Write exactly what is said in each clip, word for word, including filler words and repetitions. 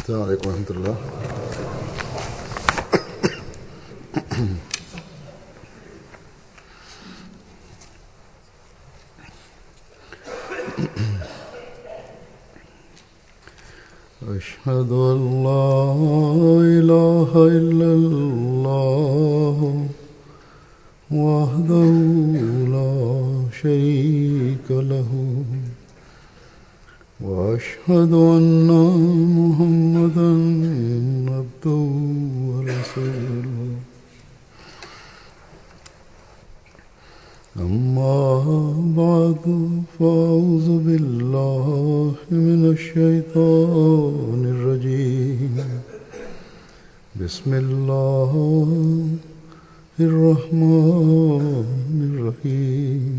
السلام عليكم ورحمة الله. أشهد أن لا إله إلا الله وحده لا شريك له وأشهد أن محمدا عبده ورسوله أما بعد فأعوذ بالله من الشيطان الرجيم بسم الله الرحمن الرحيم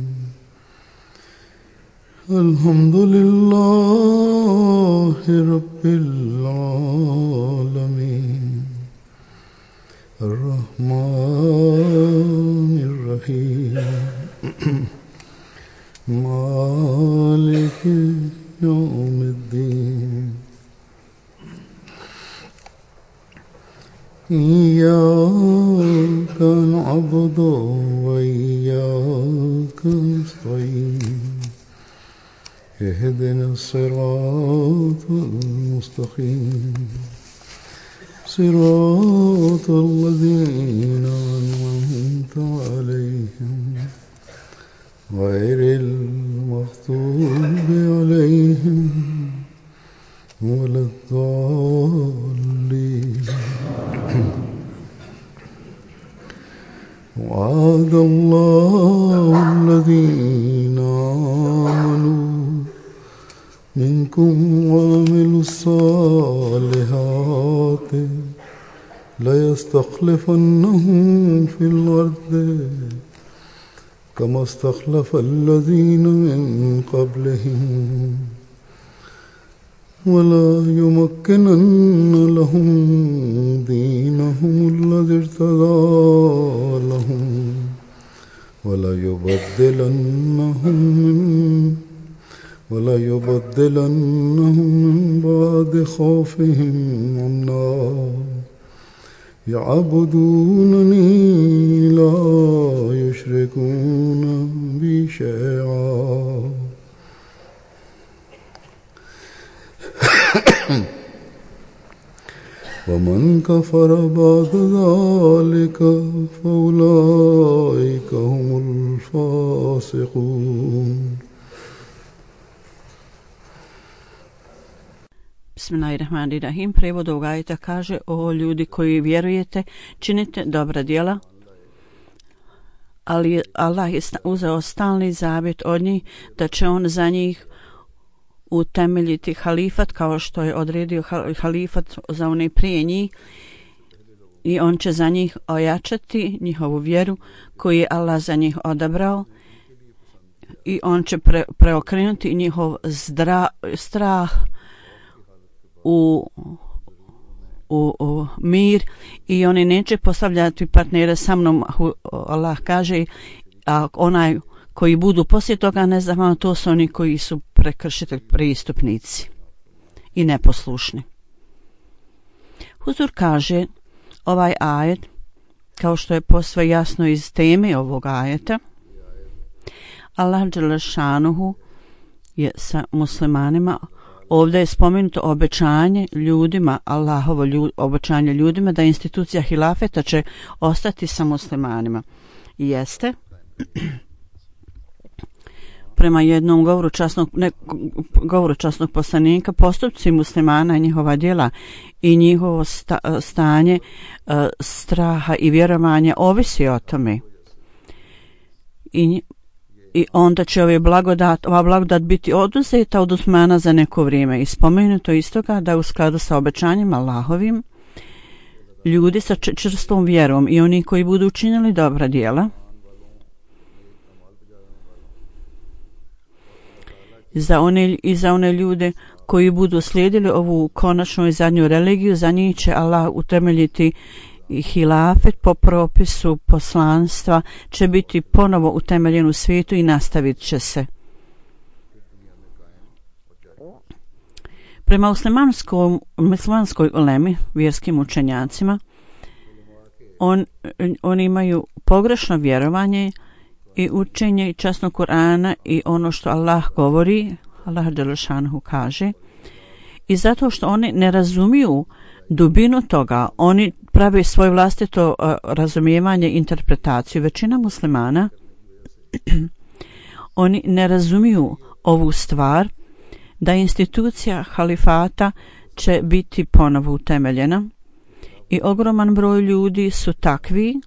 الحمد لله رب العالمين الرحمن الرحيم مالك يوم الدين إياك نعبد وإياك نستعين اهدنا الصراط المستقيم صراط الذين أنعمت عليهم غير المغضوب عليهم ولا الضالين. وعد الله الذين آمنوا منكم وعملوا الصالحات ليستخلفنهم في الأرض كما استخلف الذين من قبلهم ولا يمكنن لهم دينهم الذي ارتضى لهم ولا يبدلنهم من ولا يبدلنهم من بعد خوفهم أمنا يعبدونني لا يشركون بي شيئا ومن كفر بعد ذلك فأولئك هم الفاسقون. Bismillahirrahmanirrahim. Prevod ovog ajeta kaže: o ljudi koji vjerujete, činite dobra djela, ali Allah je uzeo stalni zavjet od njih da će on za njih utemeljiti halifat kao što je odredio halifat za one prije njih i on će za njih ojačati njihovu vjeru koju je Allah za njih odabrao i on će pre, preokrenuti njihov zdra, strah U, u, u mir i oni neće postavljati partnere sa mnom. Allah kaže, a onaj koji budu poslije toga nezahvalni, to su oni koji su prekršitelji, prestupnici i neposlušni. Huzur kaže ovaj ajet, kao što je posve jasno iz teme ovog ajeta, Allah dželle šanuhu je sa muslimanima. Ovdje je spomenuto obećanje ljudima, Allahovo ljud, obećanje ljudima da institucija hilafeta će ostati sa muslimanima. I jeste, prema jednom govoru časnog, ne, govoru časnog poslanika, postupci muslimana, njihova djela i njihovo sta, stanje uh, straha i vjerovanja ovisi o tome. I I onda će ove blagodat, ova blagodat biti oduzeta od Usmana za neko vrijeme. I spomenuto istoga da u skladu sa obećanjem Allahovim ljudi sa čvrstom vjerom i oni koji budu učinili dobra djela za one, i za one ljude koji budu slijedili ovu konačnu i zadnju religiju, za njih će Allah utemeljiti i hilafet po propisu poslanstva će biti ponovo utemeljen u svijetu i nastavit će se. Prema muslimanskoj, muslimanskoj ulemi, vjerskim učenjacima, on, oni imaju pogrešno vjerovanje i učenje i časno Kur'ana i ono što Allah govori, Allah dželešanohu kaže, i zato što oni ne razumiju dubinu toga, oni prave svoje vlastito uh, razumijevanje, interpretaciju. Većina muslimana oni ne razumiju ovu stvar, da institucija halifata će biti ponovo utemeljena i ogroman broj ljudi su takvi,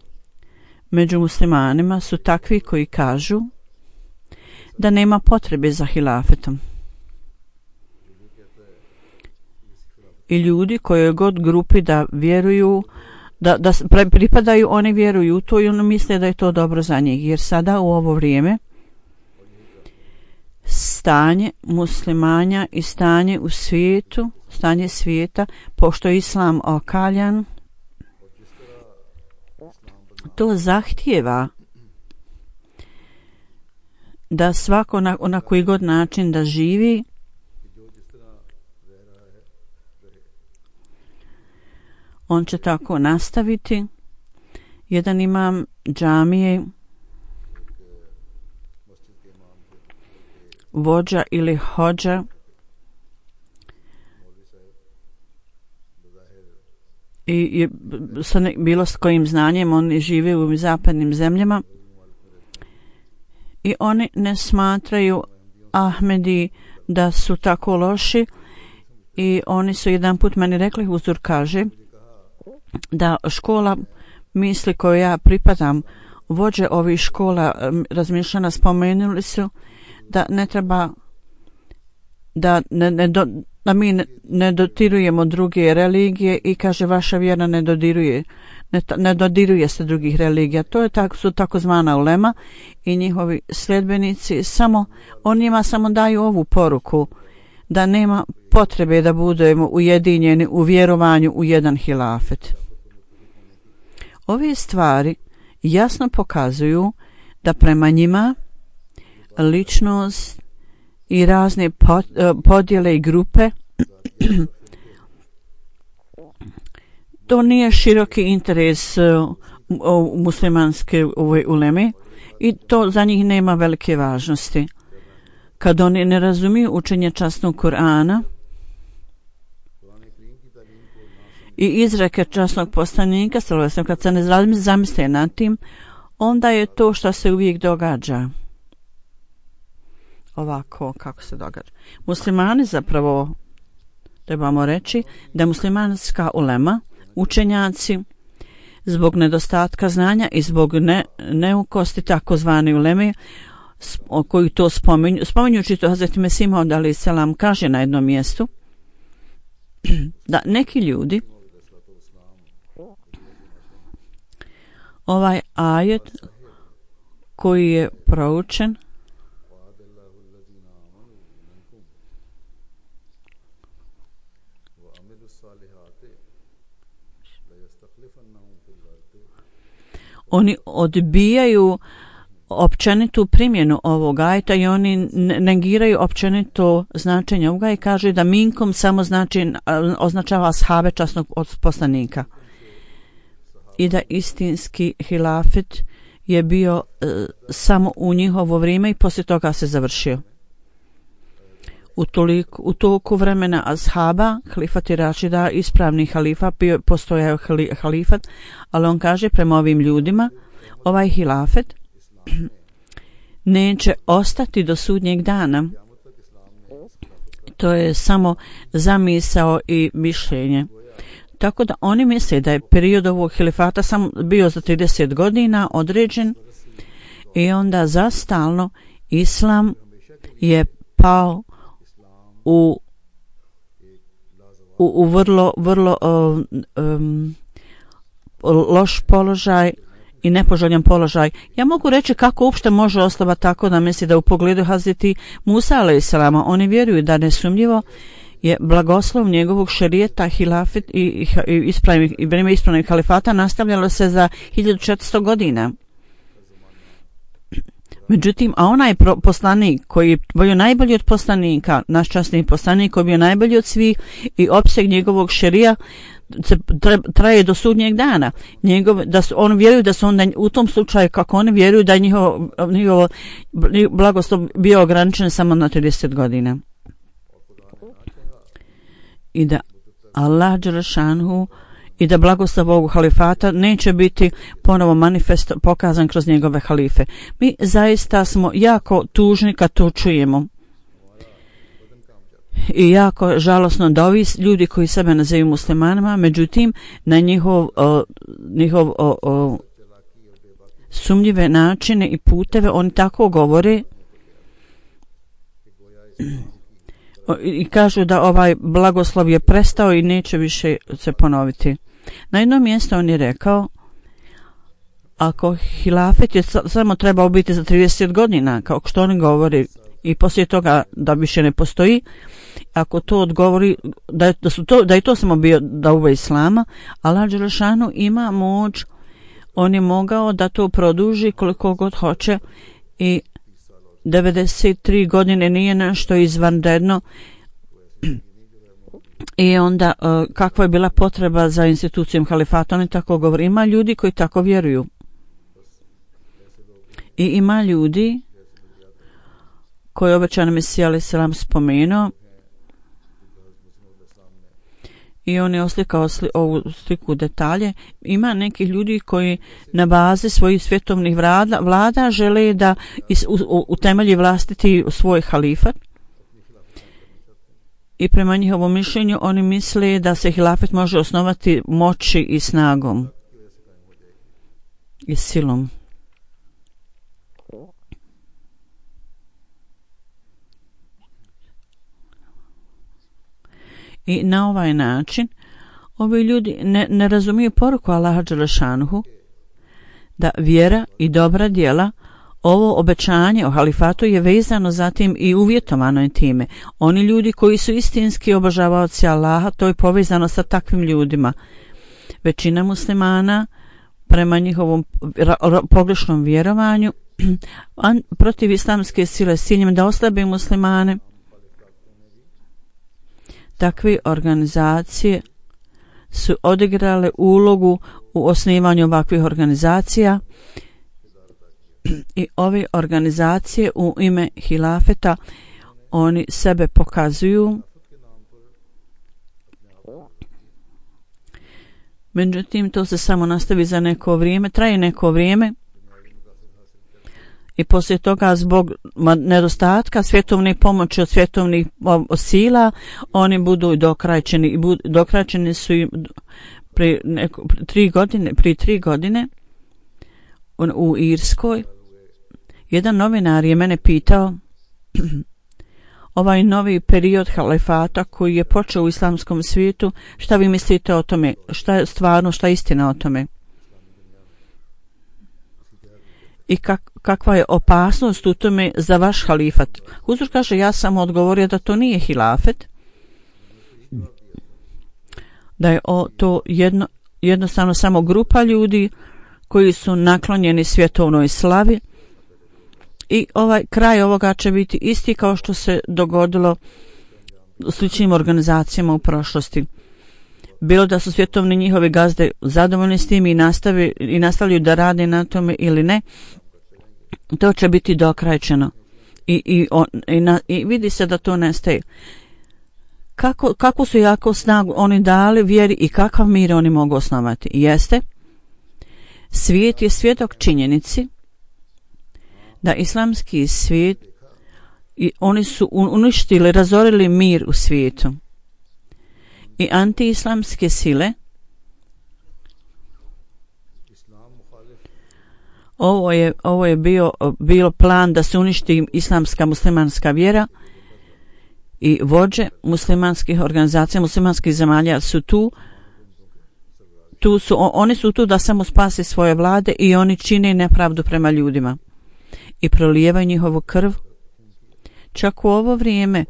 među muslimanima su takvi koji kažu da nema potrebe za hilafetom. I ljudi koje god grupi da vjeruju, da, da pripadaju, oni vjeruju u to i oni misle da je to dobro za njih. Jer sada u ovo vrijeme stanje muslimanja i stanje u svijetu, stanje svijeta, pošto je islam okaljan, to zahtijeva da svako na, na koji god način da živi on će tako nastaviti. Jedan imam džamije, vođa ili hođa, i je sa ne, bilo s kojim znanjem, oni žive u zapadnim zemljama i oni ne smatraju Ahmedi da su tako loši i oni su jedan put meni rekli, Huzur kaže da škola misli koju ja pripadam, vođe ovih škola razmišljena spomenuli su da ne treba da, ne, ne do, da mi ne, ne dotirujemo druge religije i kaže vaša vjera ne dodiruje ne, ne dodiruje se drugih religija. To je tak, su takozvana ulema i njihovi sljedbenici samo, on njima samo daju ovu poruku da nema potrebe da budemo ujedinjeni u vjerovanju u jedan hilafet. Ove stvari jasno pokazuju da prema njima ličnost i razne podjele i grupe to nije široki interes u muslimanske uleme i to za njih nema velike važnosti. Kad oni ne razumiju učenje časnog Kur'ana i izreke časnog poslanika, kad se ne zamisle nad tim, onda je to što se uvijek događa. Ovako kako se događa. Muslimani zapravo, trebamo reći, da muslimanska ulema, učenjaci, zbog nedostatka znanja i zbog ne, neukosti takozvane uleme, koji to spominju, spominjući to Hazreti Mesih Maud alejhi selam kaže na jednom mjestu, da neki ljudi ovaj ajet koji je proučen oni odbijaju općenitu primjenu ovog ajeta i oni negiraju općenito značenje ovoga i kaže da minkom samo znači označava ashabe časnog poslanika i da istinski hilafet je bio e, samo u njihovo vrijeme i poslije toga se završio. U, toliko, u toliko vremena ashaba, halifat i rašida, ispravni halifa, bio, postojao halifat, ali on kaže prema ovim ljudima, ovaj hilafet neće ostati do sudnjeg dana. To je samo zamisao i mišljenje. Tako da oni misle da je period ovog hilifata samo bio za trideset godina određen i onda zastalno islam je pao u, u, u vrlo, vrlo um, um, loš položaj i nepoželjan položaj. Ja mogu reći kako uopšte može osoba tako da misli da u pogledu Hazreti Musa alejhi selama oni vjeruju da nesumnjivo je blagoslov njegovog šerijeta, hilafet i, i, i ispravnih i vrijeme ispravnih halifata nastavljalo se za hiljadu četiristo godina. Međutim, a onaj poslanik koji je bio najbolji od poslanika, naš časni poslanik koji je bio najbolji od svih i opseg njegovog šerija traje do sudnjeg dana. Njegov, da su, on vjeruju da su onda u tom slučaju, kako oni vjeruju da je njihovo, njihovo blagoslov bio ograničen samo na trideset godina. I da Allah dželešanhu i da blagoslov ovog halifata neće biti ponovo manifest pokazan kroz njegove halife. Mi zaista smo jako tužni kad to čujemo. I jako žalosno da ovi ljudi koji sebe nazivaju muslimanima, međutim na njihov, o, njihov o, o, sumnjive načine i puteve oni tako govore i kažu da ovaj blagoslov je prestao i neće više se ponoviti. Na jednom mjestu on je rekao, ako hilafet je samo trebao biti za trideset godina, kao što oni govori, i poslije toga da više ne postoji, ako to odgovori da je, da su to, da je to samo bio da uve islama, Allah dželešanu ima moć, on je mogao da to produži koliko god hoće i devedeset tri godine nije nešto izvanredno. I onda uh, kakva je bila potreba za institucijom halifata, oni tako govori. Ima ljudi koji tako vjeruju. I ima ljudi koji obećani Mesija alejhi selam spomenuo i on je oslikao sli, ovu sliku detalje. Ima nekih ljudi koji na bazi svojih svjetovnih vlada, vlada žele da is, u, u, utemelji vlastiti svoj halifat. I prema njihovom mišljenju oni misle da se hilafet može osnovati moći i snagom i silom. I na ovaj način ovi ljudi ne, ne razumiju poruku Allaha dželešanuhu da vjera i dobra djela, ovo obećanje o halifatu je vezano zatim i uvjetovano je time. Oni ljudi koji su istinski obožavaoci Allaha, to je povezano sa takvim ljudima. Većina muslimana prema njihovom pogrešnom vjerovanju protiv islamske sile s ciljem da oslabe muslimane, takve organizacije su odigrale ulogu u osnivanju ovakvih organizacija i ove organizacije u ime hilafeta oni sebe pokazuju. Međutim, to se samo nastavi za neko vrijeme, traje neko vrijeme i poslije toga zbog nedostatka svjetovne pomoći od svjetovnih sila oni budu dokrajčeni i budu, dokrajčeni su im pri neko, tri godine, pri tri godine u Irskoj. Jedan novinar je mene pitao ovaj novi period halifata koji je počeo u islamskom svijetu, šta vi mislite o tome, šta je stvarno, šta je istina o tome i kak, kakva je opasnost u tome za vaš halifat. Huzur kaže, ja sam odgovorio da to nije hilafet, da je o, to jedno, jednostavno samo grupa ljudi koji su naklonjeni svjetovnoj slavi i ovaj kraj ovoga će biti isti kao što se dogodilo u sličnim organizacijama u prošlosti. Bilo da su svjetovni njihovi gazde zadovoljni s tim i, nastavi, i nastavljaju da rade na tome ili ne, to će biti dokrajčeno i, i, on, i, na, i vidi se da to nestaje. Kako, kako su jako snagu oni dali vjeri i kakav mir oni mogu osnovati? Jeste, svijet je svjedok činjenici da islamski svijet i oni su uništili, razorili mir u svijetu i antiislamske sile. Ovo je, ovo je bio, bio plan da se uništi islamska muslimanska vjera i vođe muslimanskih organizacija, muslimanskih zemalja su tu. Tu su, oni su tu da samo spase svoje vlade i oni čine nepravdu prema ljudima i prolijevaju njihovu krv. Čak u ovo vrijeme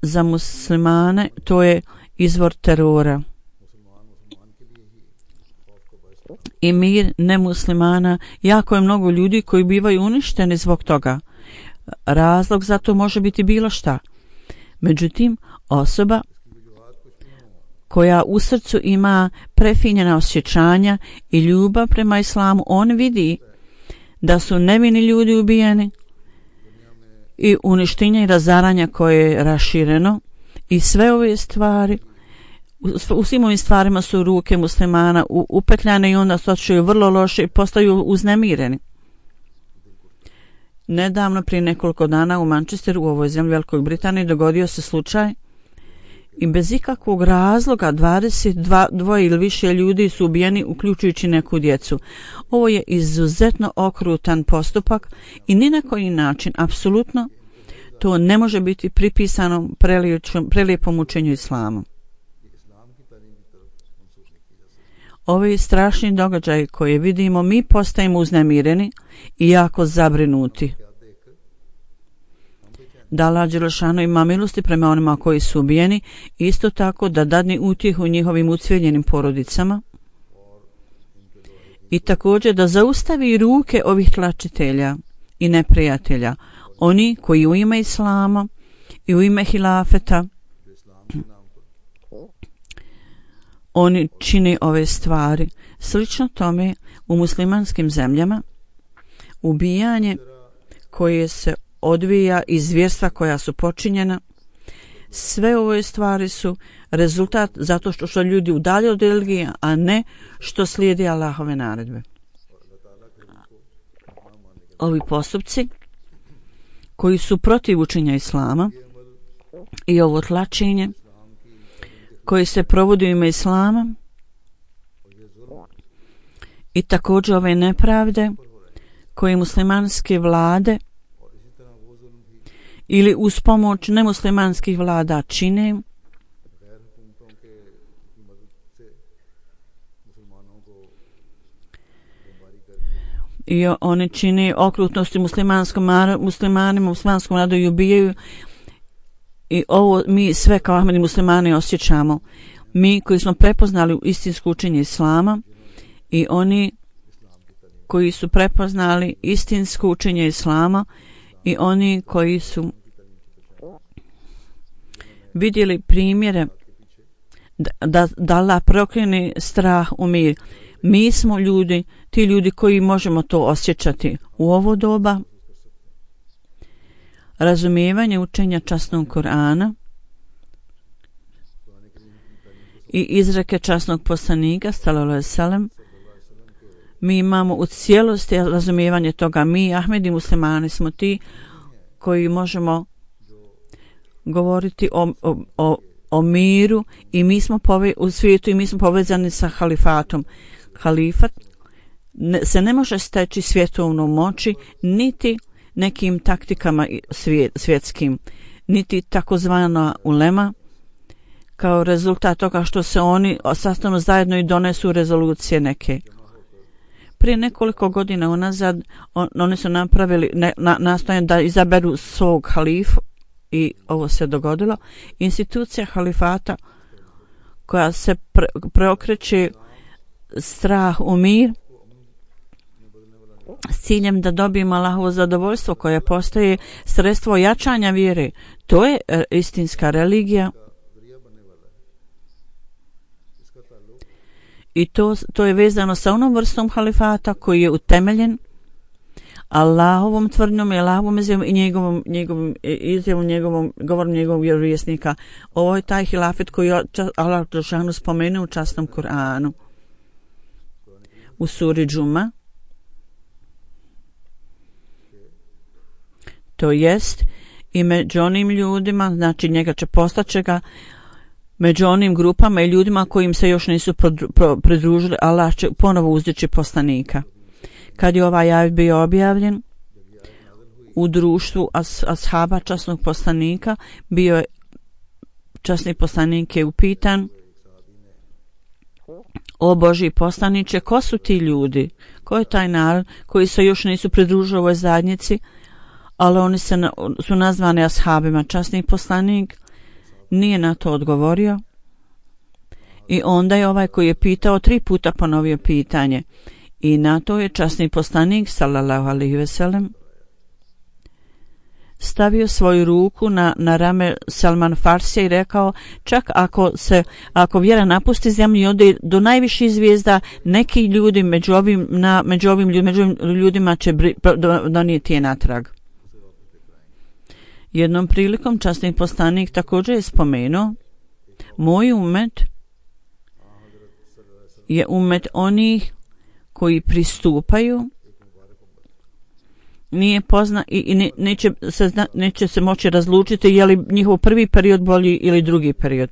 za muslimane to je izvor terora. i mir nemuslimana. Jako je mnogo ljudi koji bivaju uništeni zbog toga. Razlog za to može biti bilo šta. Međutim, osoba koja u srcu ima prefinjena osjećanja i ljubav prema islamu, on vidi da su nevini ljudi ubijeni i uništenje i razaranja koje je rašireno i sve ove stvari, u svim ovim stvarima su ruke muslimana upetljane i onda stočuju vrlo loše i postaju uznemireni. Nedavno, prije nekoliko dana u Manchesteru, u ovoj zemlji Velikoj Britaniji, dogodio se slučaj i bez ikakvog razloga dvadeset dva ili više ljudi su ubijeni, uključujući neku djecu. Ovo je izuzetno okrutan postupak i ni na koji način, apsolutno, to ne može biti pripisano prelijepom učenju islama. Ovi strašni događaji koje vidimo, mi postajemo uznemireni i jako zabrinuti. Da Allah dželešanu ima milosti prema onima koji su ubijeni, isto tako da dadne utjehu njihovim ucveljenim porodicama i također da zaustavi ruke ovih tlačitelja i neprijatelja, oni koji u ime islama i u ime hilafeta oni čine ove stvari. Slično tome u muslimanskim zemljama ubijanje koje se odvija iz zvjerstva koja su počinjena, sve ove stvari su rezultat zato što što ljudi udalje od religije, a ne što slijedi Allahove naredbe. Ovi postupci koji su protiv učenja islama i ovo tlačenje koji se provodi u ime islama i također ove nepravde koje muslimanske vlade ili uz pomoć nemuslimanskih vlada čine, i oni čine okrutnosti muslimanskom muslimanima, muslimanskom narodu i ubijaju. I ovo mi sve kao Ahmedi muslimani osjećamo. Mi koji smo prepoznali istinsko učenje islama i oni koji su prepoznali istinsko učenje islama i oni koji su vidjeli primjere da, da, da Allah prokrene strah u mir. Mi smo ljudi, ti ljudi koji možemo to osjećati u ovo doba. Razumijevanje učenja časnog Kur'ana i izreke časnog poslanika sallallahu alejhi ve sellem, mi imamo u cijelosti razumijevanje toga. Mi, Ahmedi muslimani, smo ti koji možemo govoriti o, o, o, o miru i mi smo pove, u svijetu i mi smo povezani sa halifatom. Halifat ne, se ne može steći svjetovnom moći niti nekim taktikama svijet, svjetskim, niti takozvana ulema, kao rezultat toga što se oni sastanu zajedno i donesu rezolucije neke. Prije nekoliko godina unazad on, oni su napravili ne, na, nastojanje da izaberu svog halifu i ovo se dogodilo. Institucija halifata koja se pre, preokreće strah u mir s ciljem da dobijemo Allahovo zadovoljstvo koje postaje sredstvo jačanja vjere. To je istinska religija i to, to je vezano sa onom vrstom halifata koji je utemeljen Allahovom tvrdnjom i Allahovom izjavom i njegovom, njegovom izjavom, njegovom govorom njegovog vjerovjesnika. Ovo je taj hilafet koji je Allah dželešanu spomenuo u časnom Kur'anu u suri Džuma. To jest i među onim ljudima, znači njega će postaće ga među onim grupama i ljudima kojim se još nisu pridružili, Allah će ponovo uzdići poslanika. Kad je ovaj ajet bio objavljen u društvu as, ashaba časnog poslanika, bio je časni poslanik je upitan: o Božji poslaniče, ko su ti ljudi? Ko je taj narod koji se još nisu pridružili ovoj zajednici, ali oni se na, su nazvani ashabima? Časni poslanik nije na to odgovorio I onda je ovaj koji je pitao tri puta ponovio pitanje. I na to je časni poslanik sallallahu alejhi ve sellem stavio svoju ruku na, na rame Salman Farsija i rekao, čak ako se ako vjera napusti zemlju i ode do najviših zvijezda, neki ljudi među ovim, na, među ovim, ljud, među ovim ljudima će bri, donijeti je natrag. Jednom prilikom časni poslanik također je spomenuo, moj umet je umet onih koji pristupaju, nije pozna i, i ne, neće, se, neće se moći razlučiti je li njihov prvi period bolji ili drugi period.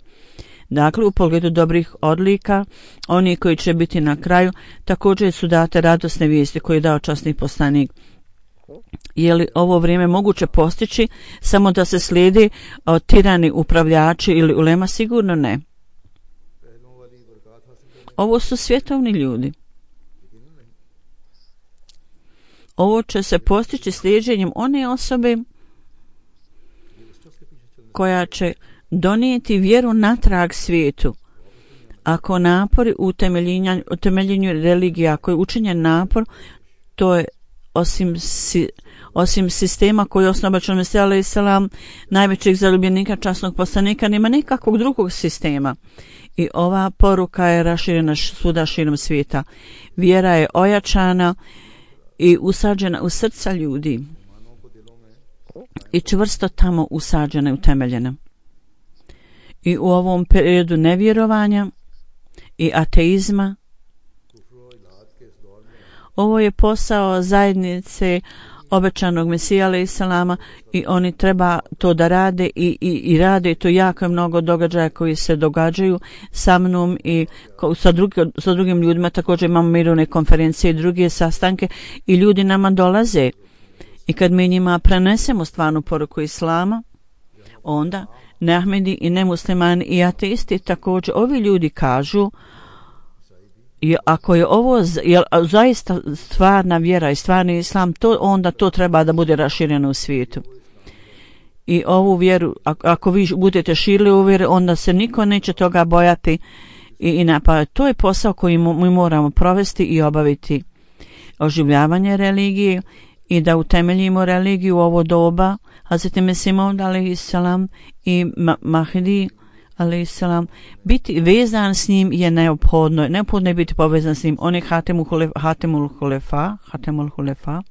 Dakle, u pogledu dobrih odlika, oni koji će biti na kraju, također su date radosne vijesti koje je dao časni poslanik. Je li ovo vrijeme moguće postići samo da se slijedi od tirani upravljači ili ulema? Sigurno ne. Ovo su svjetovni ljudi. Ovo će se postići slijeđenjem one osobe koja će donijeti vjeru natrag svijetu. Ako napori u utemeljenju religije, ako je učinjen napor, to je osim, si, osim sistema koji je osnovan Mesija alejhi selam, najvećeg zaljubljenika časnog poslanika, nema nikakvog drugog sistema. I ova poruka je raširena svuda širom svijeta. Vjera je ojačana i usađena u srca ljudi i čvrsto tamo usađena i utemeljena. I u ovom periodu nevjerovanja i ateizma, ovo je posao zajednice obećanog Mesija alejhi selama i oni treba to da rade i, i, i rade to jako mnogo događaja koji se događaju sa mnom i sa, drugi, sa drugim ljudima. Također imamo mirovne konferencije i druge sastanke i ljudi nama dolaze i kad mi njima prenesemo stvarnu poruku islama, onda neahmedi i nemuslimani i ateisti također ovi ljudi kažu, I ako je ovo je zaista stvarna vjera i stvarni islam, to onda to treba da bude rašireno u svijetu. I ovu vjeru, ako vi budete širili ovu vjeru, onda se niko neće toga bojati i, i napadati. To je posao koji mi moramo provesti i obaviti. Oživljavanje religije i da utemeljimo religiju u ovo doba. Hazreti Mesih Maud alejhi selam i Mahdi alejhi selam, biti vezan s njim je neophodno. Neophodno je biti povezan s njim. On je Hatemul Hulefa, Hatemul Hulefa.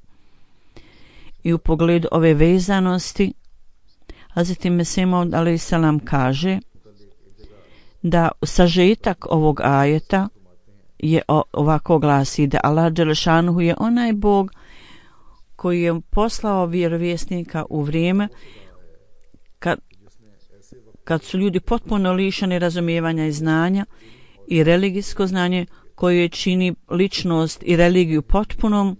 I u pogledu ove vezanosti, Hazreti Mesih Maud alejhi selam kaže da sažetak ovog ajeta je ovako glasi da Allah dželešanuhu je onaj Bog koji je poslao vjerovjesnika u vrijeme kad kad su ljudi potpuno lišeni razumijevanja i znanja i religijsko znanje koje čini ličnost i religiju potpunom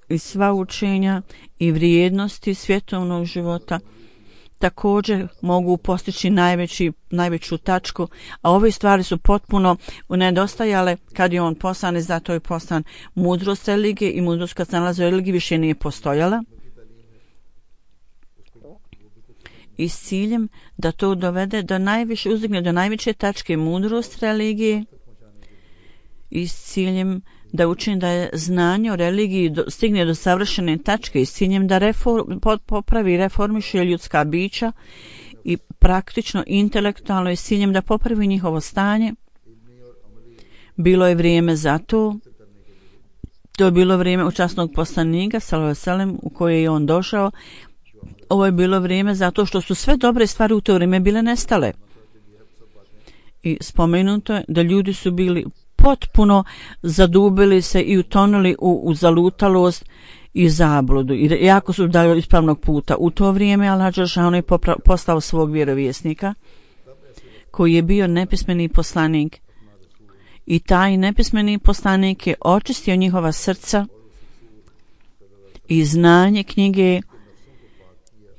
i sva učenja i vrijednosti svjetovnog života također mogu postići najveći, najveću tačku, a ove stvari su potpuno nedostajale kad je on poslan i zato je poslan. Mudrost religije i mudrost kad se nalazi u religiji više nije postojala. I s ciljem da to dovede do najviše, uzdigne do najveće tačke mudrost religije i s ciljem da učini da je znanje o religiji do, stigne do savršene tačke i s ciljem da reform, popravi reformiše ljudska bića i praktično intelektualno i s ciljem da popravi njihovo stanje. Bilo je vrijeme za to. To je bilo vrijeme časnog poslanika sallallahu alejhi ve sellem u koje je on došao. Ovo je bilo vrijeme zato što su sve dobre stvari u to vrijeme bile nestale. I spomenuto je da ljudi su bili potpuno zadubili se i utonuli u, u zalutalost i zabludu. I jako su dali ispravnog puta. U to vrijeme Allah dželešanu je poslao svog vjerovjesnika koji je bio nepismeni poslanik. I taj nepismeni poslanik je očistio njihova srca i znanje knjige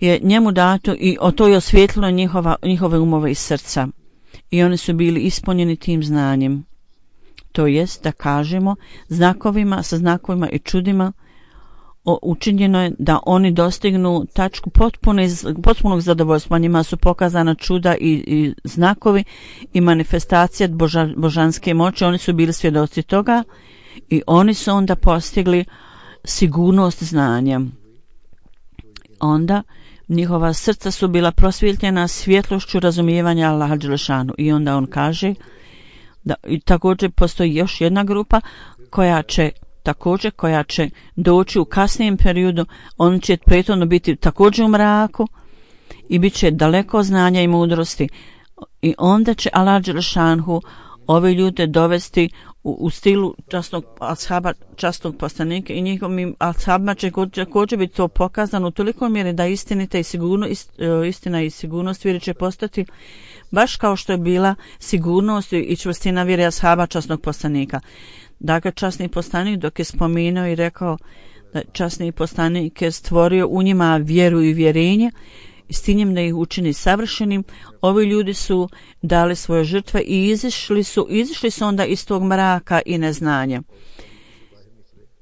je njemu dato i o to je osvijetlilo njihova, njihove umove i srca. I oni su bili ispunjeni tim znanjem. To jest da kažemo znakovima, sa znakovima i čudima učinjeno je da oni dostignu tačku potpune, potpunog zadovoljstva. Njima su pokazana čuda i, i znakovi i manifestacija boža, božanske moći. Oni su bili svjedoci toga i oni su onda postigli sigurnost znanja. Onda njihova srca su bila prosvjetljena svjetlošću razumijevanja Allaha dželešanu. I onda on kaže da i također postoji još jedna grupa koja će također koja će doći u kasnijem periodu. On će prethodno biti također u mraku i bit će daleko znanja i mudrosti. I onda će Allah dželešanu ove ljude dovesti u, u stilu časnog ashaba, časnog poslanika i njihovim ashabima će također biti to pokazano u toliko mjeri da istinita i sigurno, ist, istina i sigurnost vjere će postati baš kao što je bila sigurnost i čvrstina vjere ashaba časnog poslanika. Dakle, časni poslanik dok je spomenuo i rekao da časni poslanik je stvorio u njima vjeru i vjerenje i s tim da ih učini savršenim, ovi ljudi su dali svoje žrtve i izišli su, izišli su onda iz tog mraka i neznanja.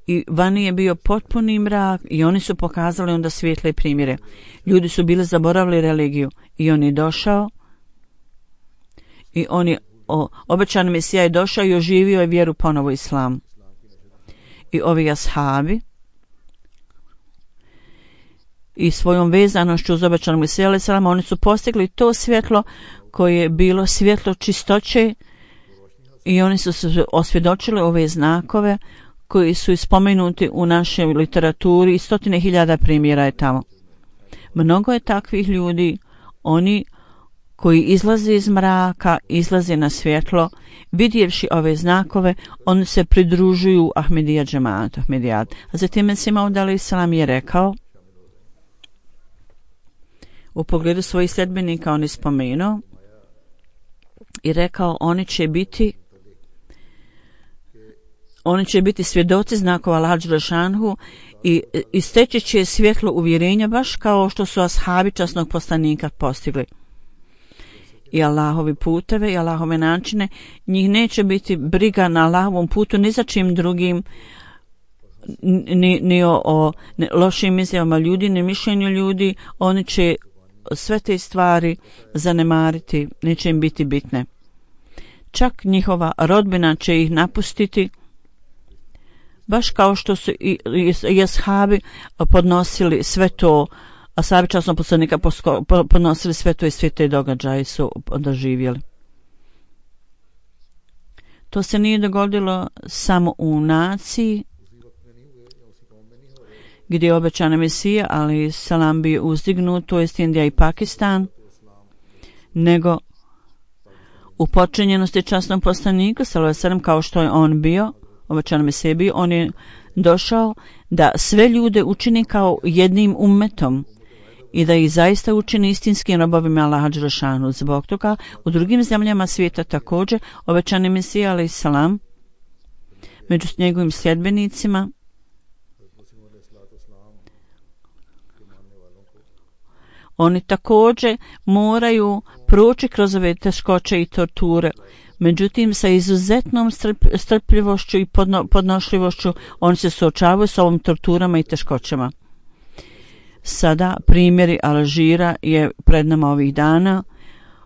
I vani je bio potpuni mrak i oni su pokazali onda svjetle primjere. Ljudi su bili zaboravili religiju i on je došao i on je o, obećani Mesija je došao i oživio je vjeru ponovo islam. I ovi ashabi i svojom vezanošću uz obećanog Mesija alejhi selam oni su postigli to svjetlo koje je bilo svjetlo čistoće i oni su se osvjedočili ove znakove koji su ispomenuti u našoj literaturi i stotine hiljada primjera je tamo. Mnogo je takvih ljudi, oni koji izlaze iz mraka, izlaze na svjetlo, vidjevši ove znakove, oni se pridružuju Ahmedija džematu, Ahmedijat. A zatim Mesih Maud alejhi selam je rekao, u pogledu svojih sljedbenika on je spomenuo i rekao, oni će biti oni će biti svjedoci znakova Allaha dželešanu i isteći će svjetlo uvjerenja baš kao što su ashabi časnog poslanika postigli. I Allahovi puteve i Allahove načine, njih neće biti briga na Allahovom putu ni za čim drugim, ni, ni o, o ni lošim izjavama ljudi, ni mišljenju ljudi. Oni će sve te stvari zanemariti, neće im biti bitne. Čak njihova rodbina će ih napustiti, baš kao što su i, i, i ashabi podnosili sve to, ashabi časnog poslanika podnosili sve to i sve te događaje su doživjeli. To se nije dogodilo samo u naciji gdje je obećana Mesija, ali salam bio uzdignut, to jest Indija i Pakistan, nego u počinjenosti časnog poslanika, sallallahu alejhi ve sellem, kao što je on bio, obećana Mesija bio, on je došao da sve ljude učini kao jednim ummetom i da ih zaista učini istinskim robovima Allaha dželešanu. Zbog toga u drugim zemljama svijeta također obećani Mesija alejhi selam među njegovim sljedbenicima oni također moraju proći kroz ove teškoće i torture. Međutim, sa izuzetnom strp, strpljivošću i podno, podnošljivošću oni se suočavaju s ovom torturama i teškoćama. Sada primjeri Alžira je pred nama ovih dana.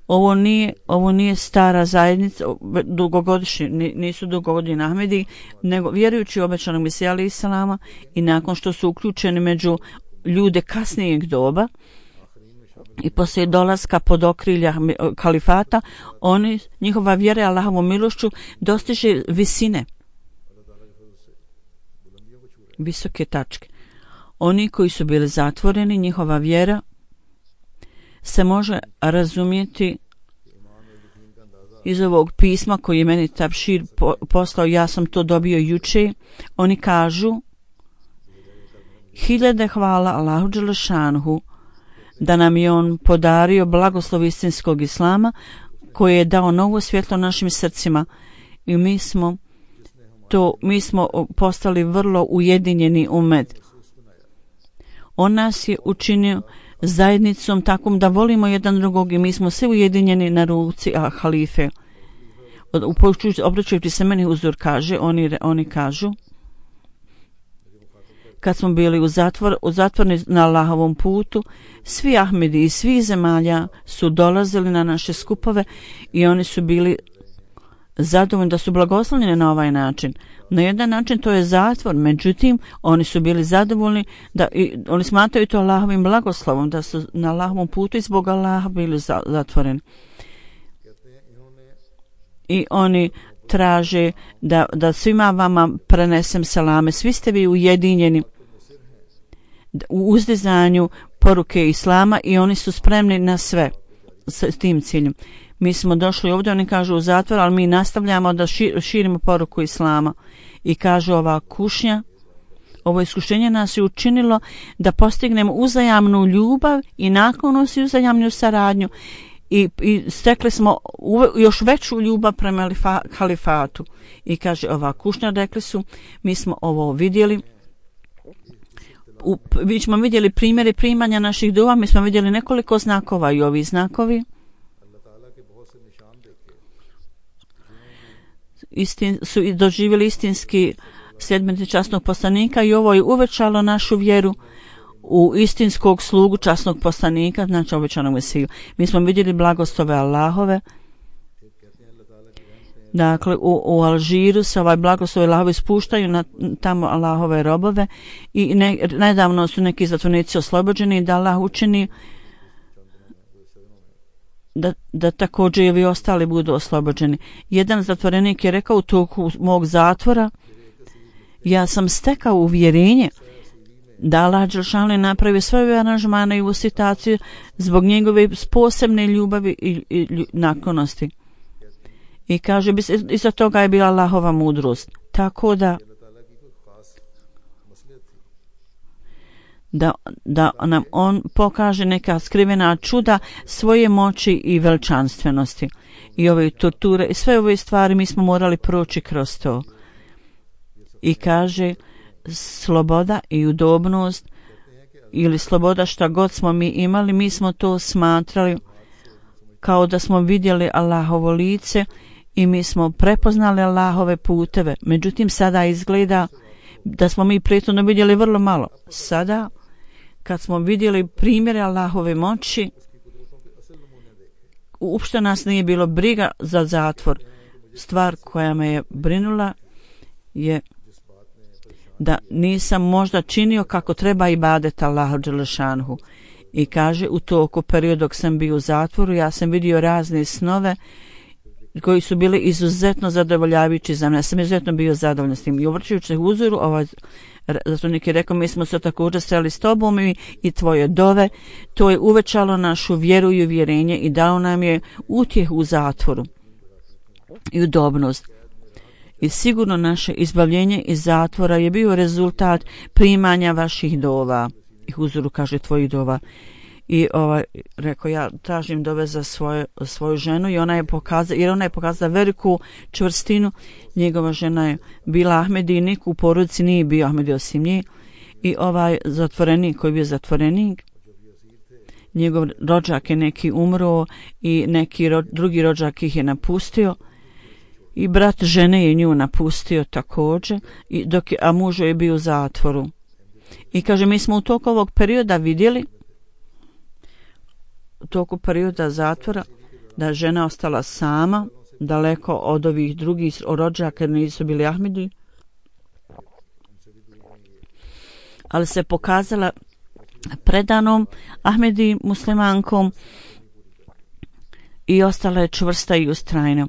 Ovo nije, ovo nije stara zajednica, dugogodišnji, nisu dugogodini Ahmedi, nego vjerujući u obećanog Mesija alejhi selama i nakon što su uključeni među ljude kasnijeg doba i poslije dolaska pod okrilja kalifata, oni, njihova vjera Allahovom milošću dostiže visine, visoke tačke. Oni koji su bili zatvoreni, njihova vjera se može razumjeti iz ovog pisma koji je meni Tabšir poslao, ja sam to dobio juče. Oni kažu, hiljade hvala Allahu dželešanu da nam je on podario blagoslov istinskog islama koji je dao novo svjetlo našim srcima i mi smo to, mi smo postali vrlo ujedinjeni ummet. On nas je učinio zajednicom takvom da volimo jedan drugog i mi smo svi ujedinjeni na ruci a halife. Obraćajući se meni uzor kaže, oni, oni kažu, kad smo bili u, zatvor, u zatvorni na Allahovom putu, svi Ahmedi iz svih zemalja su dolazili na naše skupove i oni su bili zadovoljni da su blagoslovljeni na ovaj način. Na jedan način to je zatvor, međutim oni su bili zadovoljni da i, oni smatraju to Allahovim blagoslovom, da su na Allahovom putu i zbog Allaha bili za, zatvoreni. I oni traže da, da svima vama prenesem salame. Svi ste vi ujedinjeni u uzdizanju poruke Islama i oni su spremni na sve s tim ciljem. Mi smo došli ovdje, oni kažu u zatvor, ali mi nastavljamo da širimo poruku Islama. I kažu ova kušnja, ovo iskušenje nas je učinilo da postignemo uzajamnu ljubav i naklonost i uzajamnu saradnju. I, i stekli smo uve, još veću ljubav prema lifa, halifatu. I kaže ova kušnja, rekli su, mi smo ovo vidjeli, u, mi smo vidjeli primjere primanja naših dova, mi smo vidjeli nekoliko znakova i ovi znakovi istin, su doživjeli istinski sljedbenici časnog poslanika i ovo je uvećalo našu vjeru u istinskog slugu časnog poslanika, znači obećanog Mesiju. Mi smo vidjeli blagoslove Allahove. Dakle, u, u Alžiru se ovaj blagoslove Allahove spuštaju na tamo Allahove robove i ne, nedavno su neki zatvornici oslobođeni da Allah učini da, da također i ovi ostali budu oslobođeni. Jedan zatvorenik je rekao u toku mog zatvora, ja sam stekao uvjerenje da Allah Đelšanu je napravio sve ove aranžmane i ovu situaciju zbog njegove posebne ljubavi i, i, i naklonosti. I kaže, iza toga je bila Allahova mudrost. Tako da da, da nam on pokaže neka skrivena čuda svoje moći i veličanstvenosti. I ove torture i sve ove stvari mi smo morali proći kroz to. I kaže, sloboda i udobnost ili sloboda šta god smo mi imali, mi smo to smatrali kao da smo vidjeli Allahovo lice i mi smo prepoznali Allahove puteve. Međutim, sada izgleda da smo mi prethodno vidjeli vrlo malo. Sada, kad smo vidjeli primjere Allahove moći, uopšte nas nije bilo briga za zatvor. Stvar koja me je brinula je da nisam možda činio kako treba ibadet Allahu Đelešanhu. I kaže, u toku periodu dok sam bio u zatvoru, ja sam vidio razne snove koji su bili izuzetno zadovoljavajući za mene. Ja sam izuzetno bio zadovoljan s tim. I obraćajući se uzoru, ovaj zatvornik je rekao, mi smo se također sreli s tobom i, i tvoje dove. To je uvećalo našu vjeru i uvjerenje i dao nam je utjehu u zatvoru i udobnost. I sigurno naše izbavljenje iz zatvora je bio rezultat primanja vaših dova. I uzoru kaže tvojih dova. I ovaj, rekao, ja tražim dove za svoje, svoju ženu i ona je pokazala, jer ona je pokazala veliku čvrstinu. Njegova žena je bila Ahmedinik, u porodici nije bio Ahmedi osim nje. I ovaj zatvorenik koji je bio zatvorenik, njegov rođak je neki umro i neki ro, drugi rođak ih je napustio. I brat žene je nju napustio također, i dok je, a muž je bio u zatvoru. I kaže, mi smo u toku ovog perioda vidjeli, u toku perioda zatvora, da žena ostala sama, daleko od ovih drugih rođaka, jer nisu bili Ahmedi, ali se pokazala predanom Ahmedi muslimankom i ostala je čvrsta i ustrajna.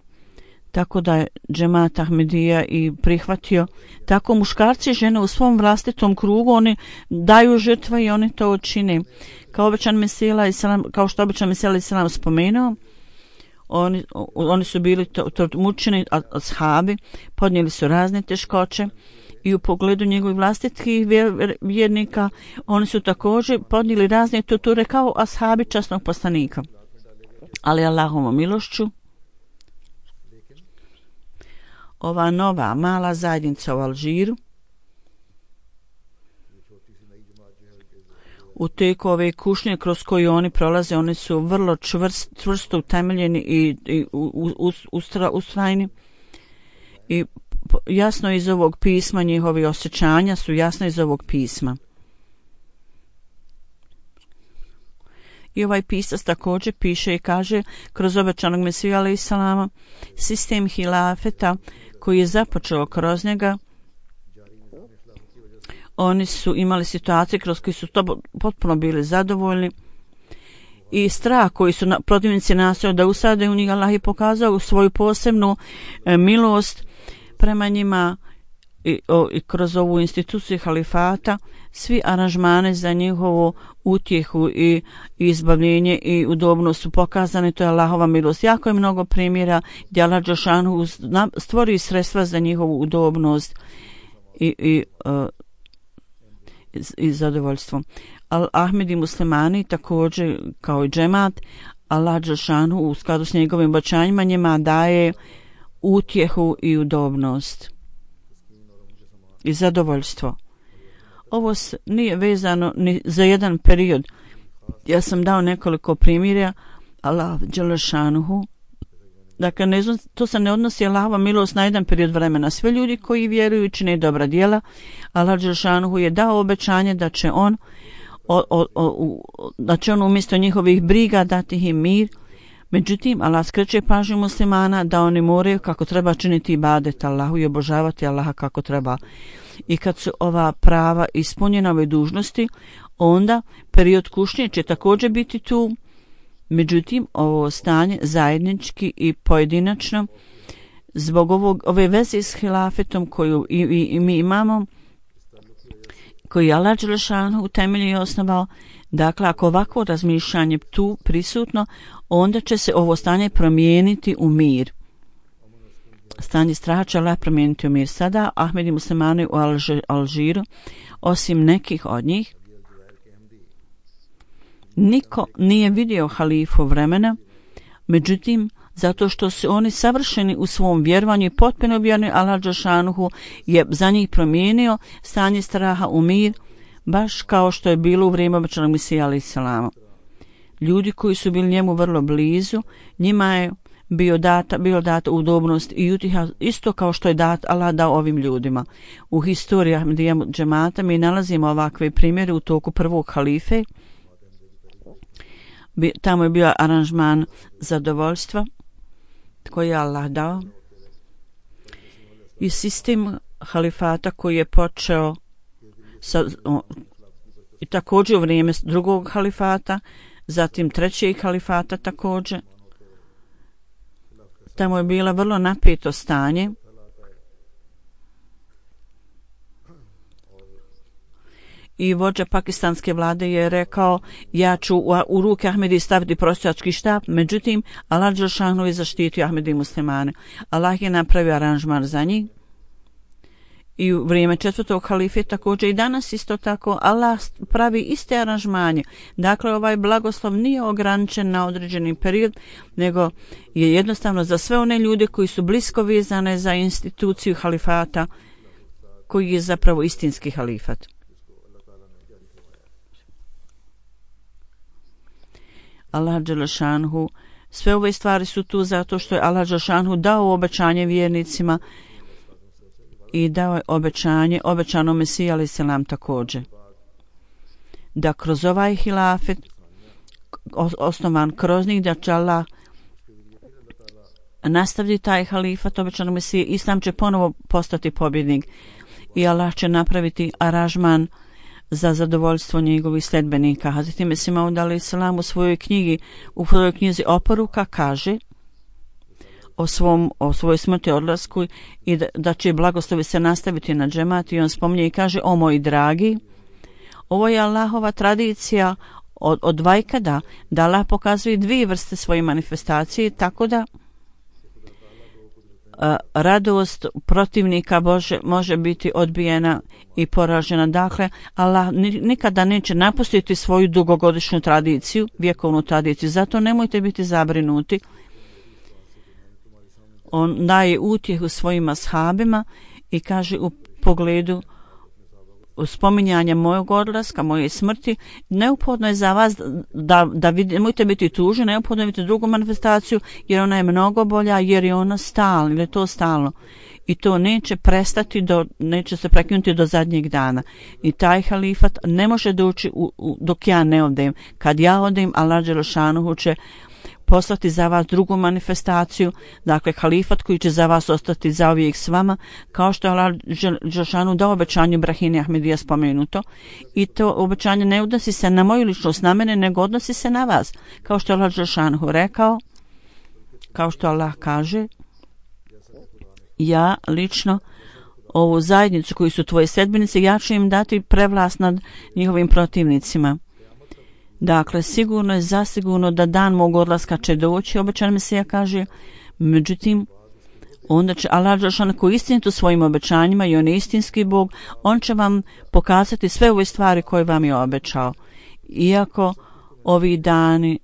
Tako da je džemat Ahmedija i prihvatio. Tako muškarci i žene u svom vlastitom krugu, oni daju žrtve i oni to čine. Kao obećan Mesija i selam, kao što obećan Mesija i selam spomenuo, oni, oni su bili to, to mučeni ashabi, podnijeli su razne teškoće i u pogledu njegovih vlastitih vjernika, oni su također podnijeli razne torture kao ashabi časnog poslanika. Ali Allahovom milošću, ova nova mala zajednica u Alžiru u teku ove kušnje kroz koje oni prolaze, oni su vrlo čvrst, čvrsto utemeljeni i, i u, u, ustra, ustrajni i jasno iz ovog pisma, njihovi osjećanja su jasno iz ovog pisma. I ovaj pisac također piše i kaže kroz obećanog Mesiju alejhi selama sistem hilafeta koji je započeo kroz njega, oni su imali situacije kroz koje su to potpuno bili zadovoljni i strah koji su na, protivnici nastojali da usade u njih, Allah je pokazao svoju posebnu e, milost prema njima i, o, i kroz ovu instituciju halifata. Svi aranžmane za njihovu utjehu i, i izbavljenje i udobnost su pokazane, to je Allahova milost. Jako je mnogo primjera gdje Allah dželešanu stvori sredstva za njihovu udobnost i, i, uh, i, i zadovoljstvo. Al-Ahmed i muslimani također kao i džemat, Allah dželešanu u skladu s njegovim obećanjima njima daje utjehu i udobnost i zadovoljstvo. Ovo nije vezano ni za jedan period. Ja sam dao nekoliko primjera Allah dželešanuhu. Dakle, ne, to se ne odnosi Allahova milost na jedan period vremena. Sve ljudi koji vjeruju i čine dobra djela, Allah dželešanuhu je dao obećanje da će on o, o, o, da će on umjesto njihovih briga dati im mir. Međutim, Allah skreće pažnju muslimana da oni moraju kako treba činiti ibadet Allahu i obožavati Allaha kako treba. I kad su ova prava ispunjena ove dužnosti, onda period kušnje će također biti tu. Međutim, ovo stanje zajednički i pojedinačno zbog ovog, ove veze s hilafetom koju i, i, i mi imamo, koji Allah dželešanu u temelju je osnovao. Dakle, ako ovako razmišljanje tu prisutno, onda će se ovo stanje promijeniti u mir. Stanje straha će Allah promijeniti u mir. Sada Ahmed i muslimani u Alžiru, osim nekih od njih, niko nije vidio halifu vremena, međutim, zato što su oni savršeni u svom vjerovanju i potpuno vjerni, Allah dželešanu je za njih promijenio stanje straha u mir, baš kao što je bilo u vrijeme obećanog Mesija alejhi selama. Ljudi koji su bili njemu vrlo blizu, njima je bio data, bio data udobnost i utiha, isto kao što je dat Allah dao ovim ljudima. U historiji Ahmedija džemata mi nalazimo ovakve primjere u toku prvog halife. Tamo je bio aranžman zadovoljstva koji je Allah dao i sistem halifata koji je počeo sa, o, i također u vrijeme drugog halifata, zatim trećeg halifata također. Tamo je bilo vrlo napeto stanje. I vođa pakistanske vlade je rekao, ja ću u, u ruke Ahmedi staviti prosjački štap, međutim, Allah dželešanu je zaštitio Ahmedi muslimane. Allah je napravio aranžman za njih. I u vrijeme četvrtog halife također i danas isto tako Allah pravi iste aranžmanje. Dakle, ovaj blagoslov nije ograničen na određeni period, nego je jednostavno za sve one ljude koji su blisko vezane za instituciju halifata, koji je zapravo istinski halifat. Allah dželešanhu, sve ove stvari su tu zato što je Allah dželešanhu dao obećanje vjernicima i dao je obećanje obećanom Mesiji alejhi selam također da kroz ovaj hilafet osnovan kroz njih da će Allah nastaviti taj halifat obećanom Mesiji, Islam će ponovo postati pobjednik i Allah će napraviti aranžman za zadovoljstvo njegovih sledbenika. Hazreti Mesih Maud alejhi selam u svojoj knjigi, u svojoj knjizi Oporuka kaže o svom o svojoj smrti, odlasku i da, da će blagoslovi se nastaviti na džemat i on spominje i kaže: o moji dragi, ovo je Allahova tradicija od, od vajkada, da Allah pokazuje dvije vrste svoje manifestacije, tako da a, radost protivnika Bože može biti odbijena i poražena. Dakle, Allah nikada neće napustiti svoju dugogodišnju tradiciju, vjekovnu tradiciju, zato nemojte biti zabrinuti. On daje utjehu svojim ashabima i kaže u pogledu spominjanja mojeg odlaska, moje smrti, neophodno je za vas da, da vid, nemojte biti tužni, neophodno je biti drugu manifestaciju, jer ona je mnogo bolja, jer je ona stalna, jer je to stalno. i to neće prestati, do, neće se prekinuti do zadnjeg dana. I taj halifat ne može doći u, u, dok ja ne odem. Kad ja odem, Allah dželešanuhu će poslati za vas drugu manifestaciju, dakle halifat koji će za vas ostati zauvijek s vama, kao što je Allah dželešanuhu dao obećanje Brahini Ahmedija spomenuto. I to obećanje ne odnosi se na moju ličnost, na mene, nego odnosi se na vas. Kao što je Allah dželešanuhu rekao, kao što Allah kaže, ja lično ovu zajednicu koji su tvoje sedbenice, ja ću im dati prevlast nad njihovim protivnicima. Dakle, sigurno je zasigurno da dan mog odlaska će doći, obećan Mesija kaže, međutim, onda će Allah dželešanuhu koji istinito svojim obećanjima i on je istinski Bog, on će vam pokazati sve ove stvari koje vam je obećao. Iako ovi dani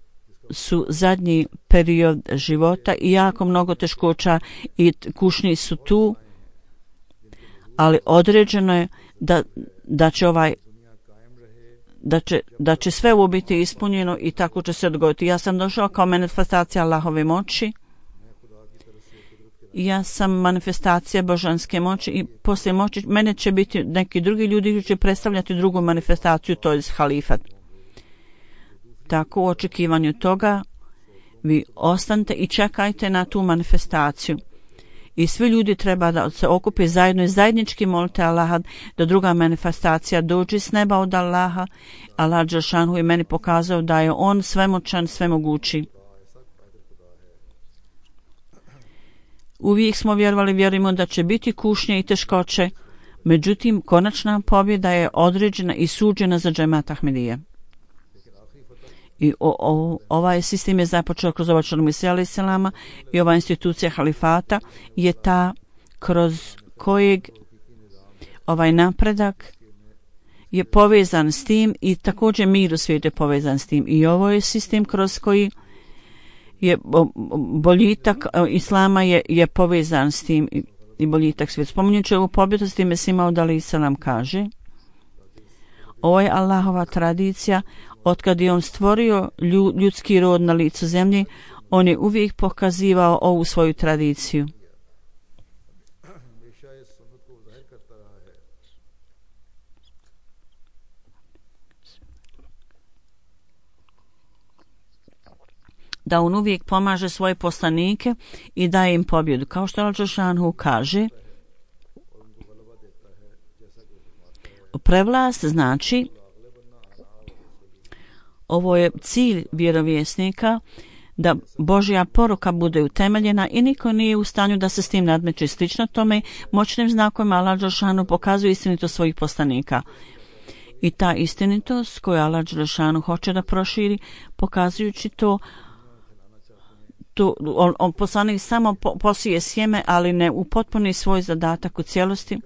su zadnji period života i jako mnogo teškoća i kušnji su tu, ali određeno je da, da će ovaj da će, da će sve ovo biti ispunjeno i tako će se dogoditi. Ja sam došao kao manifestacija Allahove moći, ja sam manifestacija božanske moći i poslije moći mene će biti neki drugi ljudi koji će predstavljati drugu manifestaciju, to je halifat. Tako u očekivanju toga vi ostanite i čekajte na tu manifestaciju. I svi ljudi treba da se okupe zajedno i zajednički molite Allaha da druga manifestacija dođe s neba od Allaha. Allah dželešanuhu je meni pokazao da je on svemoćan, svemogući. Uvijek smo vjerovali, vjerujemo da će biti kušnje i teškoće, međutim konačna pobjeda je određena i suđena za džemat Ahmedije. I o, o, ovaj sistem je započeo kroz obačanu Mesija alejhi selama i ova institucija halifata je ta kroz kojeg ovaj napredak je povezan s tim i također mir u svijetu je povezan s tim. I ovo je sistem kroz koji je boljitak Islama je, je povezan s tim i, i boljitak svijeta. Spominjući ovu pobjedu s tim Mesija alejhi selam kaže, ovo je Allahova tradicija. Otkad je on stvorio ljudski rod na licu zemlje, on je uvijek pokazivao ovu svoju tradiciju. Da on uvijek pomaže svoje poslanike i daje im pobjedu. Kao što Allah dželešanuhu kaže, prevlast znači, ovo je cilj vjerovjesnika, da Božja poruka bude utemeljena i niko nije u stanju da se s tim nadmeće. Slično tome, moćnim znakovima Allah dželešanuhu pokazuje istinitost svojih poslanika. I ta istinitost koju Allah dželešanuhu hoće da proširi, pokazujući to, to on, on poslanik samo po, posije sjeme, ali ne upotpuni svoj zadatak u cijelosti.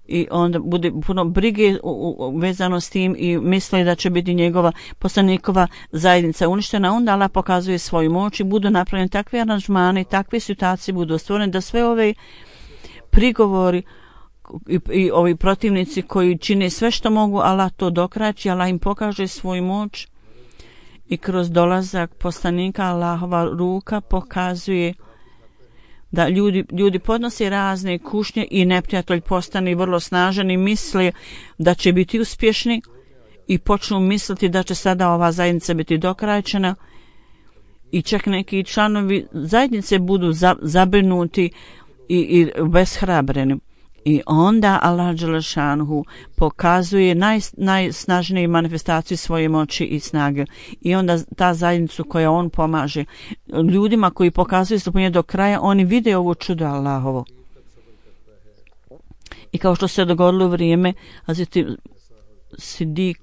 I onda bude puno brige u, u, vezano s tim i misli da će biti njegova poslanikova zajednica uništena, onda Allah pokazuje svoju moć i budu napravljeni takve aranžmane, takve situacije budu stvorene da sve ove prigovori i, i ovi protivnici koji čine sve što mogu, Allah to dokraći, Allah im pokaže svoju moć i kroz dolazak poslanika Allahova ruka pokazuje da ljudi, ljudi podnose razne kušnje i neprijatelj postane vrlo snažan i misle da će biti uspješni i počnu misliti da će sada ova zajednica biti dokrajčena i čak neki članovi zajednice budu za, zabrinuti i, i beshrabreni. I onda Allah dželešanuhu pokazuje naj, najsnažnije manifestaciju svoje moći i snage. I onda ta zajednica koja on pomaže ljudima koji pokazuju strpljenje do kraja, oni vide ovo čudo Allahovo. I kao što se dogodilo u vrijeme Hazreti Sidik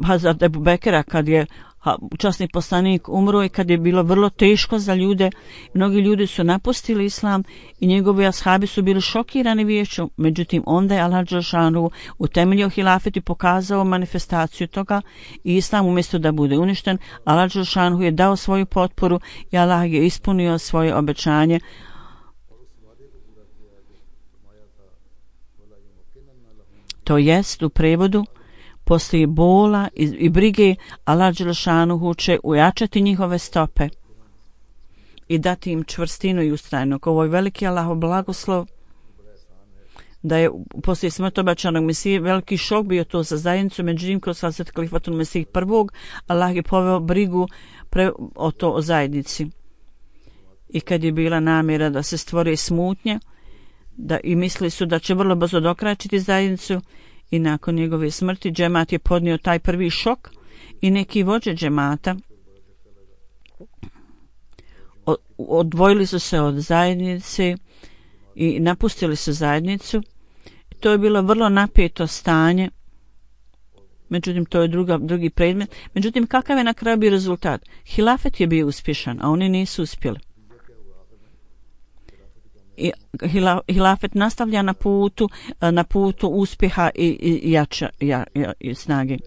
Hazreti Ebu Bekera, kad je časni poslanik umro i kad je bilo vrlo teško za ljude, mnogi ljudi su napustili islam i njegovi ashabi su bili šokirani viješću. Međutim, onda je Allah dželešanuhu utemeljio hilafet i pokazao manifestaciju toga i islam umjesto da bude uništen, Allah dželešanuhu je dao svoju potporu i Allah je ispunio svoje obećanje. To jest u prevodu, poslije bola i, i brige Allah dželešanuhu će ujačati njihove stope i dati im čvrstinu i ustrajnost. Ovo je veliki Allahov blagoslov da je poslije smrti obećanog Mesije veliki šok bio to za zajednicu, međutim kroz Hazret Kalifatul Mesih prvog Allah je poveo brigu pre, o to o zajednici. I kad je bila namjera da se stvori smutnje, da i mislili su da će vrlo brzo dokračiti zajednicu, i nakon njegove smrti džemat je podnio taj prvi šok i neki vođe džemata odvojili su se od zajednice i napustili su zajednicu. To je bilo vrlo napeto stanje, međutim to je druga, drugi predmet. Međutim, kakav je na kraju bio rezultat? Hilafet je bio uspješan, a oni nisu uspjeli. I hilafet nastavlja na putu, na putu uspjeha i, i jača ja, ja, i snage.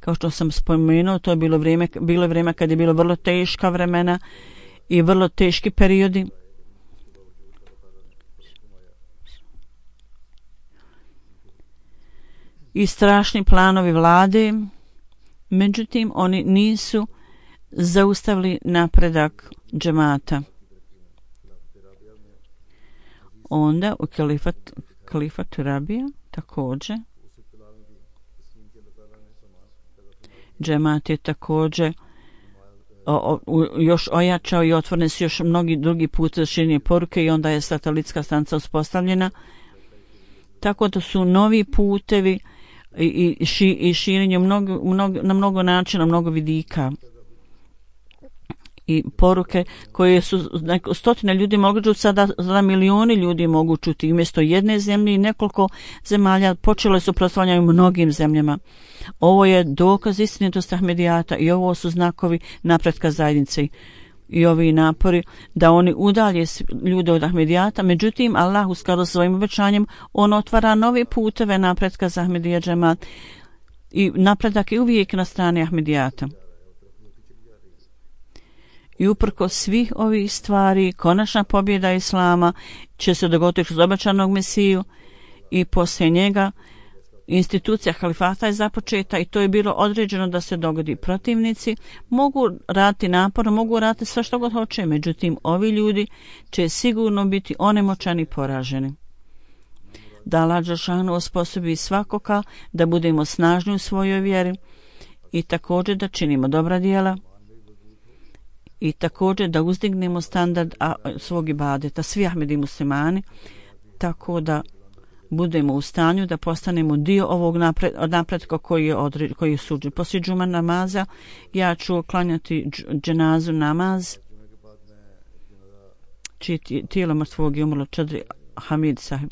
Kao što sam spomenuo, to je bilo vrijeme, bilo vrijeme kad je bilo vrlo teška vremena i vrlo teški periodi. I strašni planovi vlade, međutim oni nisu zaustavili napredak džemata. Onda u kalifat, kalifatu Rabija također džemat je također o, o, još ojačao i otvorene su još mnogi drugi put za širenje poruke i onda je satelitska stanica uspostavljena. Tako da su novi putevi i, i, ši, i širenje mnogo, mnogo, na mnogo načina, mnogo vidika. I poruke koje su neko, stotine ljudi mogu čuti, sada, sada milioni ljudi mogu čuti. Umjesto jedne zemlje i nekoliko zemalja počelo su proslavljati mnogim zemljama. Ovo je dokaz istinitosti Ahmedijata i ovo su znakovi napretka zajednice i ovi napori da oni udalje ljude od Ahmedijata. Međutim, Allah u skladu sa svojim obećanjem, on otvara nove puteve napretka za Ahmedija džemat i napredak je uvijek na strani Ahmedijata. I uprko svih ovih stvari, konačna pobjeda Islama će se dogoditi kroz obećanog Mesiju i poslije njega institucija halifata je započeta i to je bilo određeno da se dogodi. Protivnici mogu raditi naporno, mogu raditi sve što god hoće, međutim ovi ljudi će sigurno biti onemoćani i poraženi. Da Allah dželešanu osposobi svakoga da budemo snažni u svojoj vjeri i također da činimo dobra djela i također da uzdignemo standard a, svog ibadeta, svi Ahmedi muslimani, tako da budemo u stanju da postanemo dio ovog napred, napretka koji je, odred, koji je suđen. Poslije džuma namaza ja ću klanjati dženazu namaz, čiji tijelo mrtvog je umrlo Čadri Hamid sahib,